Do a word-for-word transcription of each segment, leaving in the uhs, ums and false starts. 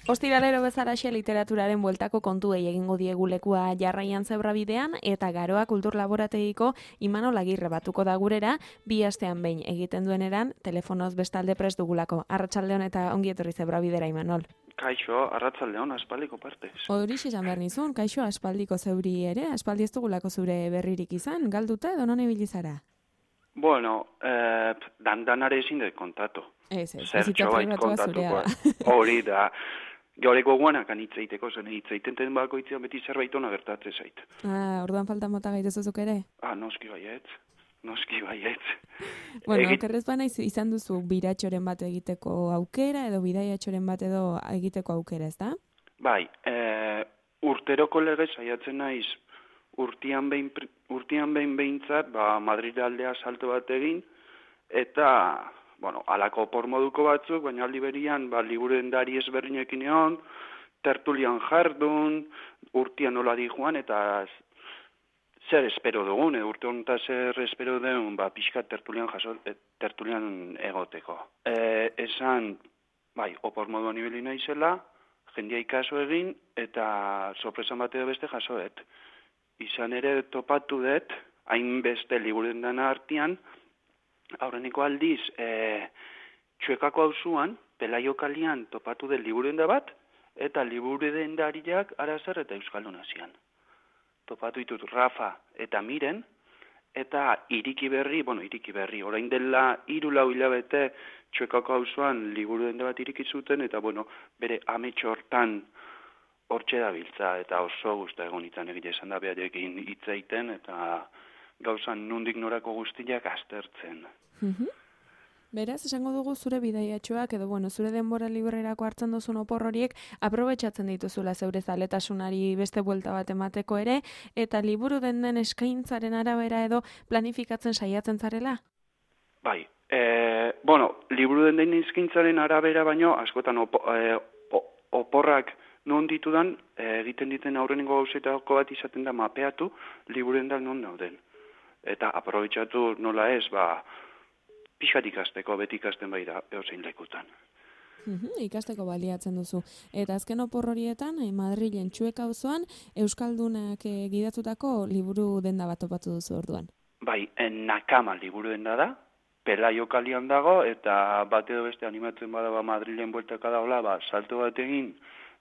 Ostiralero bezalaxe literaturaren bueltako kontuei egingo diegu lekua jarraian zebrabidean eta Garoa Kultur Laborategiko Imanol Agirre batuko da gurera, bi astean behin egiten dueneran, telefonoz bestalde prest dugulako. Arratsaldeon eta ongi etorri zebrabidera, Imanol. Kaixo, arratsaldeon, aspaldiko partez. Horixe esan behar nizun, kaixo aspaldiko zeuri ere, aspaldi ez dugulako zure berririk izan, galduta edo non ibili zara? Bueno, eh, dandanare ezin dut kontatu. Ez, ez, Zertxo bait kontatuko. Hori da. Gaureko guanakan hitz egiteko zen, hitz egiten bako hitzean beti zerbait ona gertatzen zait. Ah, orduan falta mota gaitezuzuk ere? Ah, noski baietz, noski baietz. Bueno, Egit... okerrez bana izan duzu biratxoren bat egiteko aukera edo bidaiatxoren bat edo egiteko aukera, ez da? Bai, e, urteroko lege saiatzen naiz urtian behin, urtian behin behintzat, ba, Madrid aldea salto bat egin, eta... Bueno, alako por moduko batzuk, baina aldi berian, ba, liburendari ezberdinekin egon, tertulian jardun, urtian nola di joan, eta zer espero dugun, e, urte honetan zer espero dugun, ba, pixka tertulian, jaso, e, tertulian egoteko. E, esan, bai, opor moduan ibili naizela, jendia ikaso egin, eta sorpresan bat edo beste jasoet. Izan ere topatu dut, hainbeste liburendana artean, aurreneko aldiz, e, txuekako auzuan, Pelaio kalian topatu den liburenda bat, eta liburendariak Arazar eta Euskaldun Asian. Topatu ditut Rafa eta Miren, eta iriki berri, bueno, iriki berri, orain dela hiru lau hilabete txuekako auzuan liburenda bat iriki zuten, eta bueno, bere ametxo hortan hortxe dabiltza, eta oso gusta egon itzan egite esan da beharekin hitz egiten, eta gauzan nundik norako guztiak aztertzen. Mm-hmm. Beraz, esango dugu zure bidaiatxoak edo bueno, zure denbora librerako hartzen duzun opor horiek aprobetxatzen dituzula zeure zaletasunari beste buelta bat emateko ere, eta liburu den den eskaintzaren arabera edo planifikatzen saiatzen zarela? Bai, e, bueno, liburu den den eskaintzaren arabera baino, askotan opo, e, oporrak non ditudan, e, egiten diten aurrenengo gauzetako bat izaten da mapeatu, liburendak non dauden. Eta aprobetxatu nola ez, ba, pixkat ikasteko, beti ikasten bai da, eozein lekutan. Uhum, ikasteko baliatzen duzu. Eta azken opor horietan, eh, Madrilen Txueka auzoan Euskaldunak eh, gidatutako liburu denda bat topatu duzu orduan. Bai, en Nakama liburu denda da, Pelaio kalian dago, eta bat edo beste animatzen bada ba, Madrilen bueltaka dagoela, ba, salto bat egin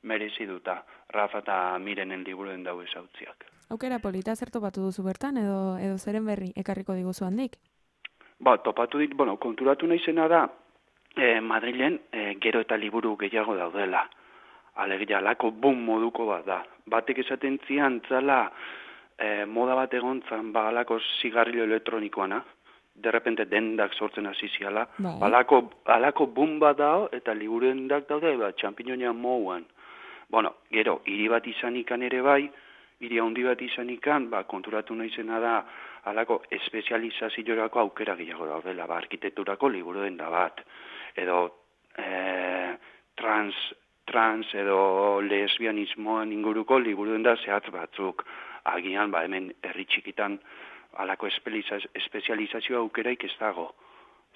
merezi duta, Rafa eta Mirenen liburu denda hau ezautziak. Aukera polita zer topatu duzu bertan, edo, edo zeren berri ekarriko diguzu handik? Ba, topatu dit, bueno, konturatu naizena da, eh, Madrilen eh, gero eta liburu gehiago daudela. Alegia, alako boom moduko bat da. Batek esaten zian, zala, eh, moda bat egontzan, ba, alako zigarrillo elektronikoana, derrepente dendak sortzen hasi ziala. Bai. Alako, alako boom bat dao, eta liburu dendak daude, ba, txampinonia mouan. Bueno, gero, hiri bat izanikan ere bai, hiri handi bat izanikan, ba, konturatu naizena da, alako espezializaziorako aukera gehiago daudela, ba, arkitekturako liburu denda bat, edo e, trans, trans edo lesbianismoan inguruko liburu denda zehatz batzuk, agian, ba, hemen herri txikitan alako espezializazio aukeraik ez dago.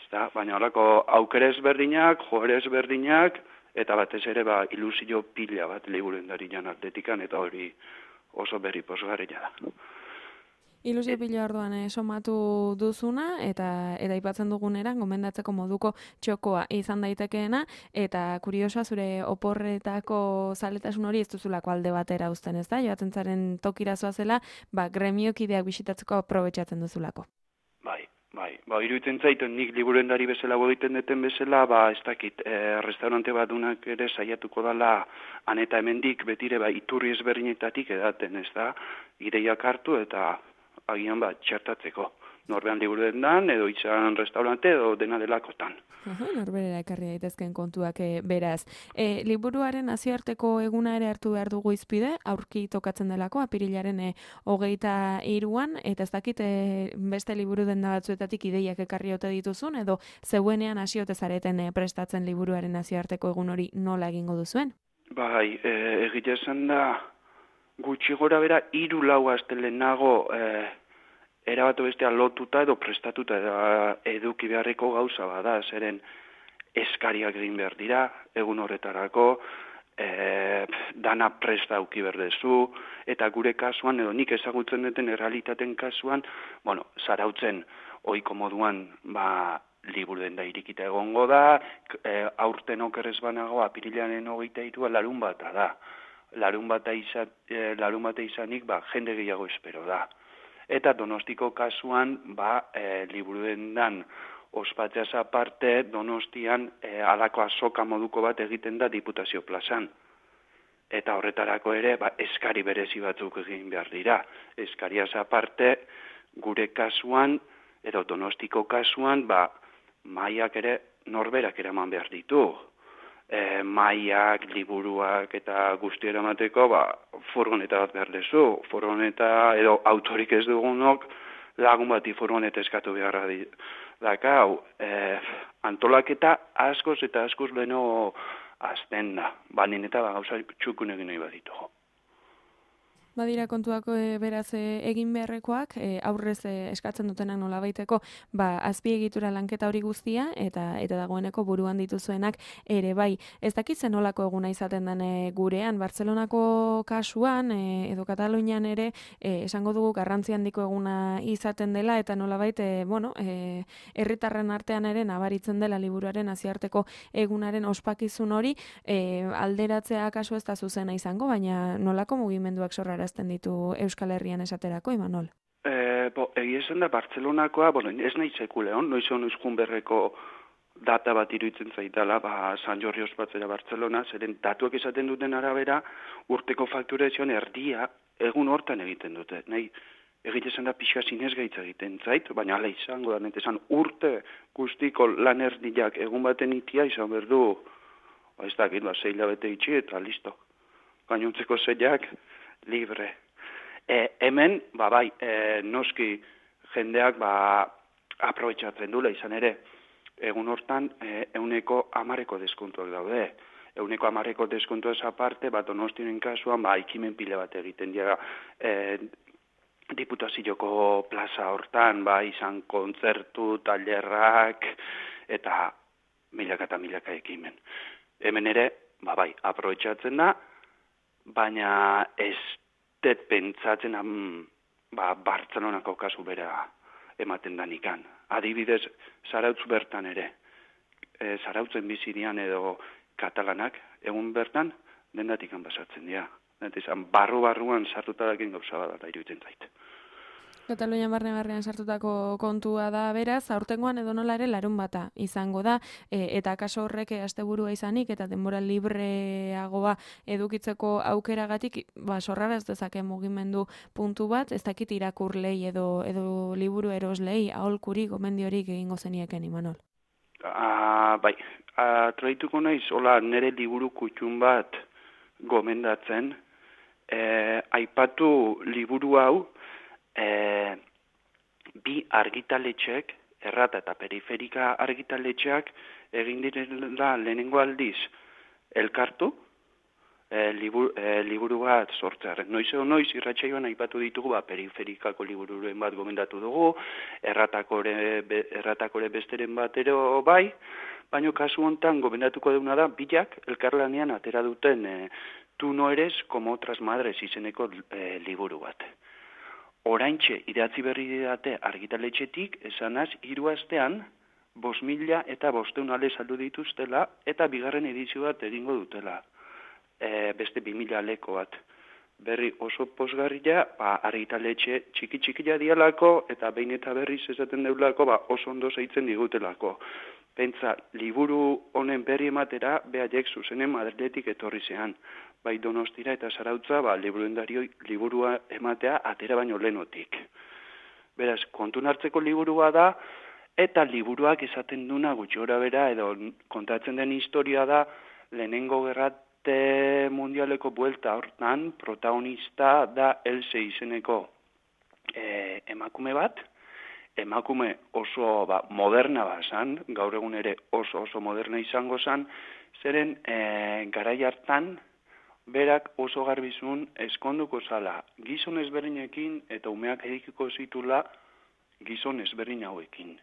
Ezta? Baina alako aukera ezberdinak, joera ezberdinak, eta batez ere ba, ilusio pila bat liburu dendarian atletikan, eta hori oso berri posgarria da. Ilusio pila orduan eh, somatu duzuna, eta eta aipatzen duguneran, gomendatzeko moduko txokoa izan daitekeena, eta kuriosoa zure oporretako zaletasun hori ez duzulako alde batera uzten, ez da? Joaten zaren tokira zoazela, ba, gremiokideak bisitatzeko aprobetxatzen duzulako. Bai, bai. Ba, iruditzen zaitu, nik liburendari bezala egiten deten bezala, ba, ez dakit, e, restaurante bat dunak ere saiatuko dala, aneta hemendik betire, ba, iturri ezberdinetatik edaten, ez da? Ideiak hartu eta agian bat txertatzeko. Norbean liburu dendan, edo izan restaurante, edo dena delakotan. Aha, norberera ekarri daitezken kontuak e, beraz. E, liburuaren nazioarteko eguna ere hartu behar dugu izpide, aurki tokatzen delako, apirilaren e, hogeita hiruan, eta ez dakit e, beste liburu denda batzuetatik ideiak ekarri ote dituzun, edo zeuenean hasiote zareten e, prestatzen liburuaren nazioarteko egun hori nola egingo duzuen? Bai, e, egia esan da, gutxi gora bera, hiru lau astelehenago e, erabatu bestea lotuta edo prestatuta edo eduki beharreko gauza bada, zeren eskariak egin behar dira, egun horretarako, e, dana presta auki berdezu, eta gure kasuan, edo nik ezagutzen duten errealitaten kasuan, bueno, zarautzen ohiko moduan, ba, liburu denda irikita egongo da, e, aurten okerrez banago, apirilaren hogeita hirua larun bata da. Larun bata izan, e, larun bata izanik, ba, jende gehiago espero da. Eta Donostiko kasuan, ba, e, liburu dendan ospatzeaz aparte, Donostian e, alako azoka moduko bat egiten da Diputazio plazan. Eta horretarako ere, ba, eskari berezi batzuk egin behar dira. Eskariaz aparte, gure kasuan, edo Donostiko kasuan, ba, maiak ere norberak eraman behar ditu. E, maiak, liburuak eta guzti eramateko, ba, furgoneta bat behar dezu. Furgoneta edo autorik ez dugunok lagun bati furgoneta eskatu beharra di. Dakau, e, antolaketa askoz eta askoz leno azten da. Banin eta ba, gauza txukun egin nahi baditugu. Badira kontuako e, beraz e, egin beharrekoak, e, aurrez e, eskatzen dutenak nolabaiteko, ba, azpiegitura lanketa hori guztia, eta eta dagoeneko buruan dituzuenak ere bai. Ez dakitzen nolako eguna izaten den e, gurean, Bartzelonako kasuan, e, edo Katalunian ere, e, esango dugu garrantzi handiko eguna izaten dela, eta nolabait, e, bueno, e, herritarren artean ere nabaritzen dela liburuaren nazioarteko egunaren ospakizun hori, e, alderatzea kasu ez da zuzena izango, baina nolako mugimenduak sorra arazten ditu Euskal Herrian esaterako, Imanol? E, bo, egia esan da, Bartzelonakoa, bueno, ez nahi sekuleon, noiz hon euskun berreko data bat iruditzen zaitala, ba, San Jorri ospatzera Bartzelona, zeren datuak esaten duten arabera, urteko fakturazioan erdia egun hortan egiten dute. Nahi, egite esan da pixka zinez gaitza egiten zait, baina ala izango da, netesan urte guztiko lan erdiak egun baten itia izan berdu, ba, ez dakit, ba, zei labete itxi eta listo. Gainontzeko zeiak, libre. E, hemen, ba bai, e, noski jendeak ba aprobetxatzen dula izan ere, egun hortan e, euneko amareko deskontuak daude. Euneko amareko deskontuaz aparte, bat Donostien kasuan, ba, ikimen pile bat egiten dira, e, Diputazioko plaza hortan, ba, izan kontzertu, tailerrak, eta milaka eta milaka ekimen. Hemen ere, ba bai, aprobetxatzen da, baina ez dut pentsatzen am, ba, Bartzelonako kasu bera ematen danikan. Adibidez, Zarautz bertan ere, e, Zarautzen bizidian edo katalanak, egun bertan, dendatik basatzen dira. Izan, barru-barruan sartuta dakin gauza bat da iruditzen zait. Katalunian barne barnean sartutako kontua da beraz, aurtengoan edo nola ere larun bata izango da, e, eta kaso horrek asteburua izanik eta denbora libreagoa edukitzeko aukeragatik, ba, sorrara ez dezake mugimendu puntu bat, ez dakit irakurlei edo, edo liburu eroslei, aholkuri, gomendiorik egingo zenieken, Imanol. Ah, bai, atraituko naiz, hola, nire liburu kutxun bat gomendatzen, e, aipatu liburu hau, E, bi argitaletxek, errata eta periferika argitaletxeak egin direla lehenengo aldiz elkartu e, libur, e, liburu bat sortzearen. Noiz edo noiz irratsaioan aipatu ditugu, ba, periferikako libururen bat gomendatu dugu, erratakore, be, erratakore besteren batero bai, baina kasu hontan gomendatuko duguna da, bilak elkarlanean atera duten e, Tu no eres como otras madres izeneko e, liburu bat. Oraintxe idatzi berri didate argitaletxetik, esanaz, hiru astean, bost mila eta bosteun ale saldu dituztela, eta bigarren edizio bat egingo dutela. E, beste bi mila aleko bat. Berri oso posgarria, ba, argitaletxe txiki-txikila dialako, eta behin eta berriz esaten deulako, ba, oso ondo zeitzen digutelako. Pentsa, liburu honen berri ematera, behaiek zuzenen Madriletik etorri zean. Bai Donostira eta Zarautza, ba, liburuendario liburua ematea atera baino lehenotik. Beraz, kontun hartzeko liburua da, eta liburuak esaten duna gutxi gora bera, edo kontatzen den historia da, lehenengo gerrate mundialeko buelta hortan, protagonista da Else izeneko e, emakume bat, emakume oso ba, moderna bazan, gaur egun ere oso oso moderna izango zan, zeren e, garai hartan, berak oso garbizun eskonduko zala gizon ezberdinekin eta umeak edikiko zitula gizon ezberdin hauekin.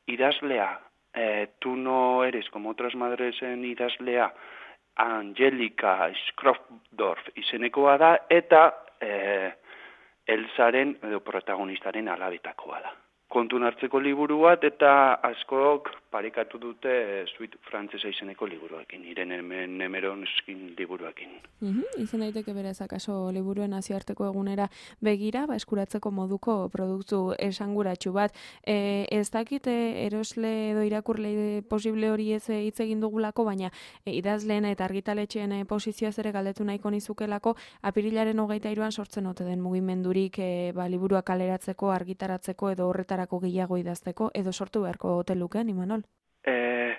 Idazlea, e, tu no eres como otras madresen idazlea, Angelika Schrofdorf izenekoa da, eta e, Elzaren edo protagonistaren alabetakoa da. Kontun hartzeko liburu bat, eta askok parekatu dute e, suite frantzesa izeneko liburuekin, Irene Nemeronskin liburuekin. Mm-hmm. Izen daiteke beraz, akaso liburuen nazioarteko egunera begira, ba, eskuratzeko moduko produktu esanguratsu bat. E, ez dakit erosle edo irakurle posible hori ez hitz egin dugulako, baina e, idazleen eta argitaletxeen e, posizioaz ere galdetu nahiko nizukelako, apirilaren hogeita hiruan sortzen ote den mugimendurik e, ba, liburuak kaleratzeko, argitaratzeko edo horretarako gehiago idazteko, edo sortu beharko ote lukeen, Imanol? E,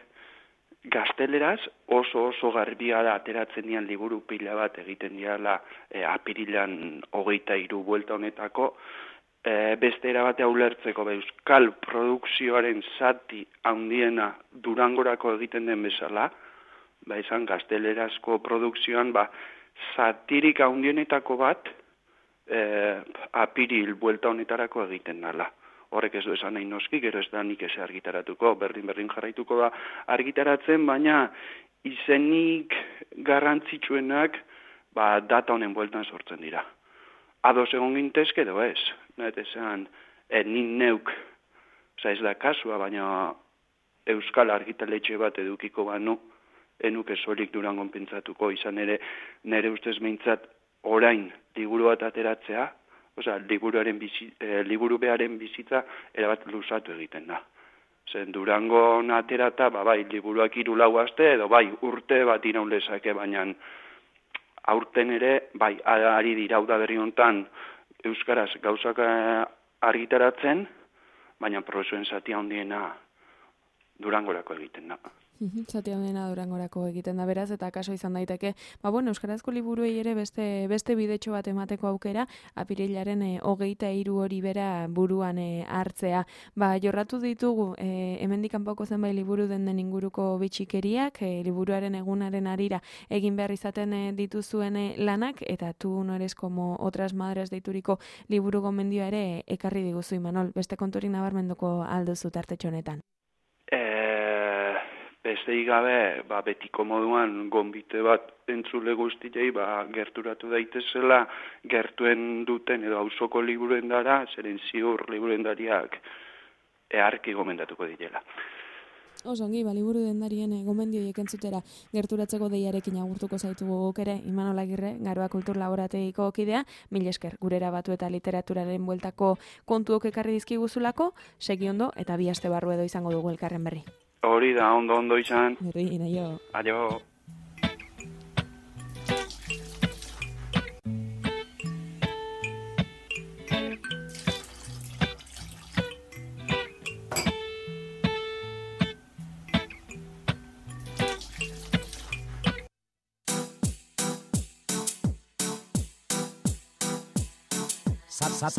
gazteleraz oso oso garbia da ateratzen dian liburu pila bat egiten diala e, apirilan hogeita hiru buelta honetako, e, beste erabatea ulertzeko euskal produkzioaren zati handiena Durangorako egiten den bezala, ba izan gaztelerazko produkzioan ba, zatirik handienetako bat e, apiril buelta honetarako egiten dala. Horrek ez du esan nahi noski, gero ez da nik ez argitaratuko, berdin-berdin jarraituko da argitaratzen, baina izenik garrantzitsuenak ba, data honen bueltan sortzen dira. Ados egon gintezke edo ez, nahet esan, e, nin neuk, oza ez da kasua, baina euskal argitaletxe bat edukiko banu, enuke solik Durangon pentsatuko, izan ere nire ustez behintzat orain liburu bat ateratzea, Osa, liburuaren bizi, eh, liburu bearen bizitza erabat luzatu egiten da. Zen Durango aterata, ba, bai, liburuak hiru lau aste, edo bai, urte bat iraun lezake, baina aurten ere, bai, ari dira da berri hontan euskaraz gauzak argitaratzen, baina prozuen zatia handiena Durangorako egiten da. Zati handena Durangorako egiten da beraz, eta kaso izan daiteke, ba bueno, euskarazko liburuei ere beste beste bidetxo bat emateko aukera, apirilaren e, hogeita hiru hori bera buruan e, hartzea. Ba, jorratu ditugu, e, hemendik kanpoko zenbait liburu den den inguruko bitxikeriak, e, liburuaren egunaren arira egin behar izaten e, dituzuen e, lanak, eta tu no eres como otras madres deituriko liburu gomendioa ere ekarri diguzu, Imanol. Beste konturik nabarmenduko alduzu tartetxo honetan. Besteik gabe, ba, betiko moduan gonbite bat entzule guztiei ba, gerturatu daitezela gertuen duten edo auzoko liburuen dara, zeren ziur liburuen dariak eharki gomendatuko direla. Osongi, ba, liburu dendarien e, gomendioiek entzutera gerturatzeko deiarekin agurtuko zaitugu guk ere, Imanol Agirre, Garoa Kultur Laborategiko kidea, mil esker, gurera batu eta literaturaren bueltako kontuok ekarri dizkiguzulako, segi ondo eta bi aste barru edo izango dugu elkarren berri. Hori da, ondo ondo izan. Berri, naio. Aio.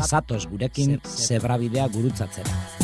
Zatoz gurekin zebrabidea gurutzatzera.